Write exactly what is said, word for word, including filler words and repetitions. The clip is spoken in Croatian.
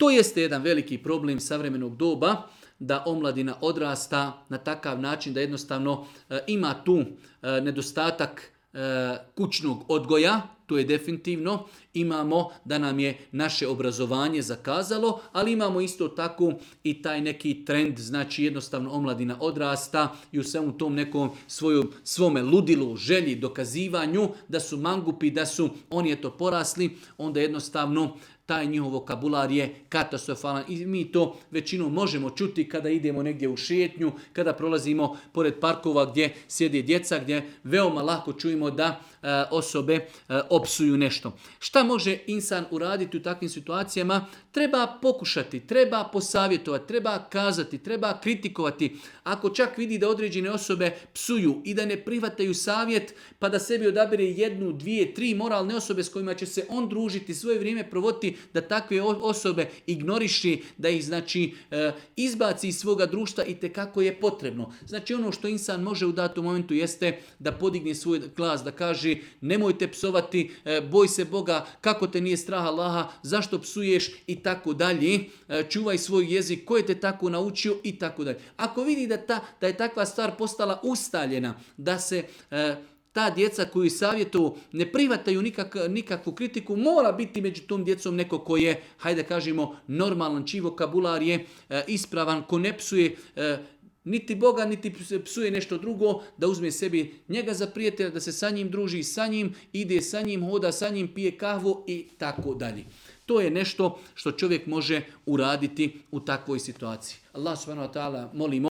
To jeste jedan veliki problem savremenog doba, da omladina odrasta na takav način da jednostavno e, ima tu e, nedostatak e, kućnog odgoja, to je definitivno. Imamo da nam je naše obrazovanje zakazalo, ali imamo isto tako i taj neki trend, znači jednostavno omladina odrasta i u svemu tom nekom svojom, svome ludilu, želji, dokazivanju da su mangupi, da su oni eto porasli, onda jednostavno taj njihov vokabular je katastrofalan i mi to većinom možemo čuti kada idemo negdje u šetnju, kada prolazimo pored parkova gdje sjede djeca, gdje veoma lako čujemo da e, osobe e, opsuju nešto. Šta može insan uraditi u takvim situacijama? Treba pokušati, treba posavjetovati, treba kazati, treba kritikovati. Ako čak vidi da određene osobe psuju i da ne prihvataju savjet, pa da sebi odabere jednu, dvije, tri moralne osobe s kojima će se on družiti, svoje vrijeme provoditi, da takve osobe ignoriši, da ih znači izbaci iz svoga društva i tekako je potrebno. Znači ono što insan može u datom momentu jeste da podigne svoj glas, da kaže nemojte psovati, boj se Boga, kako te nije strah Allaha, zašto psuješ i tako dalje, čuvaj svoj jezik, ko je te tako naučio i tako dalje. Ako vidi da, ta, da je takva stvar postala ustaljena, da se ta djeca koju savjetu ne prihvataju nikak, nikakvu kritiku, mora biti među tom djecom neko ko je, hajde kažemo, normalan, čiji vokabular je e, ispravan, ko ne psuje e, niti Boga, niti psuje nešto drugo, da uzme sebi njega za prijatelja, da se sa njim druži, sa njim ide, sa njim hoda, sa njim pije kahvu i tako dalje. To je nešto što čovjek može uraditi u takvoj situaciji. Allah subhanahu wa ta'ala molimo